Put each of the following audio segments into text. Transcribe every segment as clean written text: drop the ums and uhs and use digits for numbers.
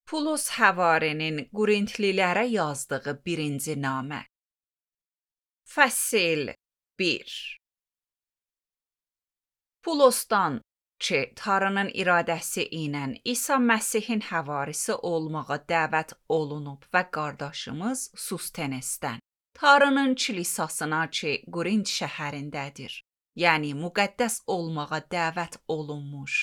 Pulos Həvarinin Qurintlilərə yazdığı birinci namə. Fəsil 1. Pulosdan ki, Tanrının iradəsi ilə İsa Məsihin həvarisi olmağa dəvət olunub və qardaşımız Sustenesdən, Tanrının kilisasına ki, Qurint şəhərindədir, yəni müqəddəs olmağa dəvət olunmuş,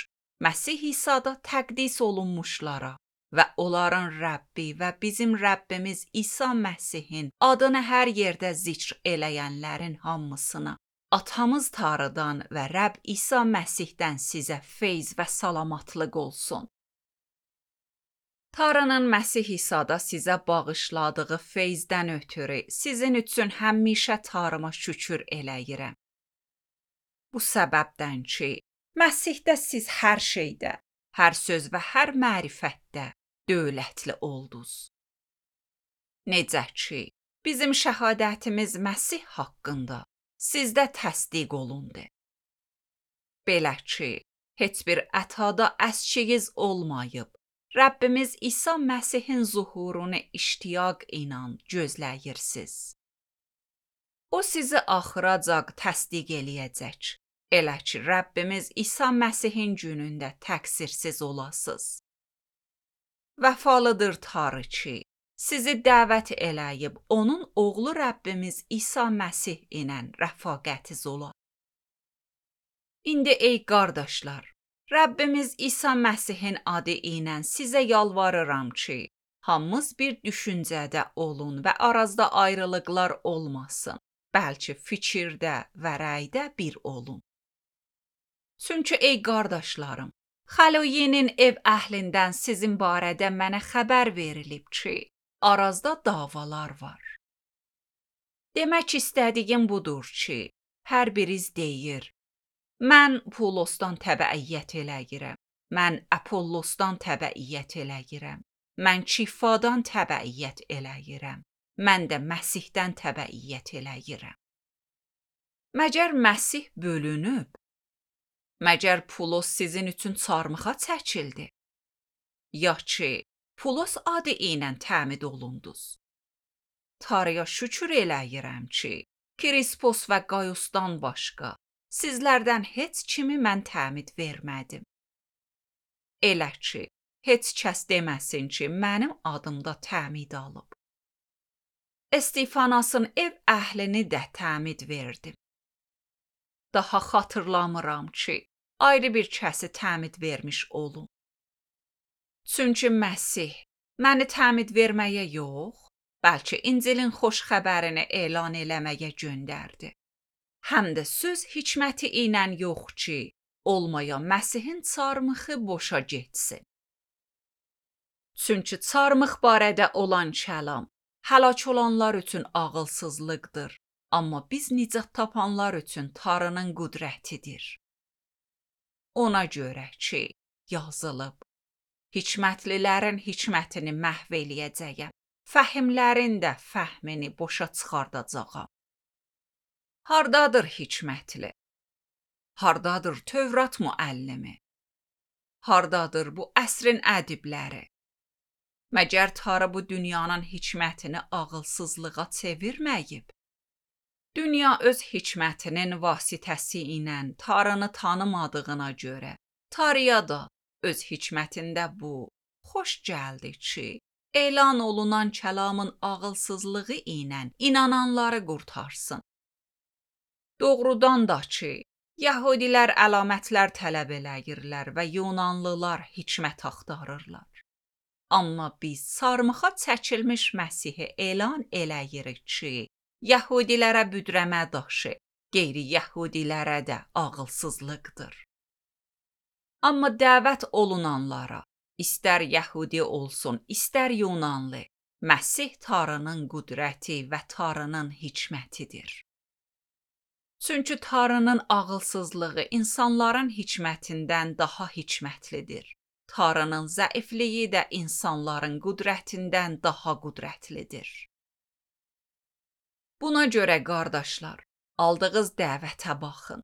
Məsih İsa'da təqdis olunmuşlara və onların Rəbbi və bizim Rəbbimiz İsa Məsihin adını hər yerdə zikr eləyənlərin hamısına, Atamız Tanrıdan və Rəbb İsa Məsihdən sizə feyz və salamatlıq olsun. Tanrının Məsih İsa'da sizə bağışladığı feyzdən ötürü sizin üçün həmişə Tanrıma şükür eləyirəm. Bu səbəbdən ki, Məsihdə siz hər şeydə, hər söz və hər mərifətdə dövlətli oldunuz. Necə ki, bizim şəhadətimiz Məsih haqqında sizdə təsdiq olundu. Belə ki, heç bir ətada əskiyiz olmayıb, Rəbbimiz İsa Məsihin zuhurunu iştiyaq ilə gözləyirsiniz. O sizi axıracaq təsdiq eləyəcək, elə ki, Rəbbimiz İsa Məsihin günündə təqsirsiz olasınız. Vəfalıdır Tanrı ki, sizi dəvət eləyib onun oğlu Rəbbimiz İsa Məsih ilə rəfaqətiz ola. İndi ey qardaşlar, Rəbbimiz İsa Məsihin adı ilə sizə yalvarıram ki, hamımız bir düşüncədə olun və arazda ayrılıqlar olmasın, bəlkə fikirdə və rəydə bir olun. Çünki ey qardaşlarım, Xaloyenin ev əhlindən sizin barədə mənə xəbər verilib ki, arazda davalar var. Demək istədiyim budur ki, hər biriz deyir, mən Pulosdan təbəiyyət eləyirəm, mən Apollosdan təbəiyyət eləyirəm, mən Kifadan təbəiyyət eləyirəm, mən də Məsihdən təbəiyyət eləyirəm. Məgər Məsih bölünüb? Məgər Pulos sizin üçün çarmıxa çəkildi? Ya ki, Pulos adı ilə təmid olundunuz. Tanrıya şükür eləyirəm ki, Krispos və Qayusdan başqa, sizlərdən heç kimi mən təmid vermədim. Elə ki, heç kəs deməsin ki, mənim adımda təmid alıb. Stefanasın ev əhlini də təmid verdim. Daha xatırlamıram ki, ayrı bir kəsi təmid vermiş olum. Çünki Məsih məni təmid verməyə yox, bəlkə İncilin xoş xəbərini elan eləməyə göndərdi. Həm də söz hikməti ilə yox ki, olmaya Məsihin çarmıxı boşa getsin. Çünki çarmıx barədə olan kəlam həlak olanlar üçün ağılsızlıqdır. Amma biz nicat tapanlar üçün Tanrının qüdrətidir. Ona görə ki, yazılıb, hikmətlilərin hikmətini məhv eləyəcəyəm, fəhimlərin də fəhmini boşa çıxardacağam. Hardadır hikmətli? Hardadır Tövrat müəllimi? Hardadır bu əsrin ədibləri? Məgər Tanrı bu dünyanın hikmətini ağılsızlığa çevirməyib? Dünya öz hikmətinin vasitəsi ilə Tanrını tanımadığına görə, Tanrıya da öz hikmətində bu xoş gəldi ki, elan olunan kəlamın ağılsızlığı ilə inananları qurtarsın. Doğrudan da ki, Yəhudilər əlamətlər tələb eləyirlər və Yunanlılar hikmət axtarırlar. Amma biz sarmıxa çəkilmiş Məsihi elan eləyirik ki, Yəhudilərə büdrəmə daşı, qeyri-Yəhudilərə də ağılsızlıqdır. Amma dəvət olunanlara, istər Yəhudi olsun, istər Yunanlı, Məsih Tanrının qüdrəti və Tanrının hikmətidir. Çünki Tanrının ağılsızlığı insanların hikmətindən daha hikmətlidir. Tanrının zəifliyi də insanların qüdrətindən daha qüdrətlidir. Buna görə qardaşlar, aldığınız dəvətə baxın.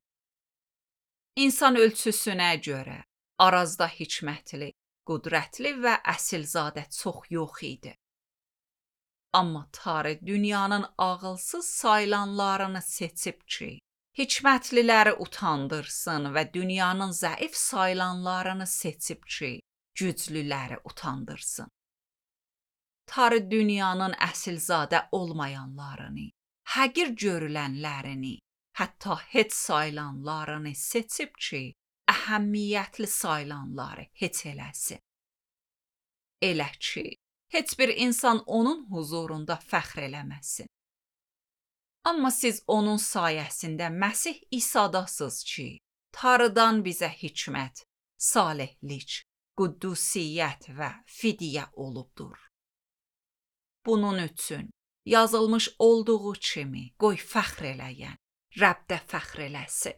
İnsan ölçüsünə görə arazda hikmətli, qüdrətli və əsilzadə çox yox idi. Amma Tanrı dünyanın ağılsız sayılanlarını seçib ki, hikmətliləri utandırsın və dünyanın zəif sayılanlarını seçib ki, güclüləri utandırsın. Tanrı dünyanın əsilzadə olmayanlarını, həqir görülənlərini, hətta heç sayılanlarını seçib ki, əhəmiyyətli sayılanları heç eləsin. Elə ki, heç bir insan onun huzurunda fəxr eləməsin. Amma siz onun sayəsində Məsih İsadasınız ki, Tanrıdan bizə hikmət, salihlik, qüddusiyyət və fidyə olubdur. Bunun üçün yazılmış olduğu kimi qoy fəxr eləyən Rəbdə fəxr eləsin.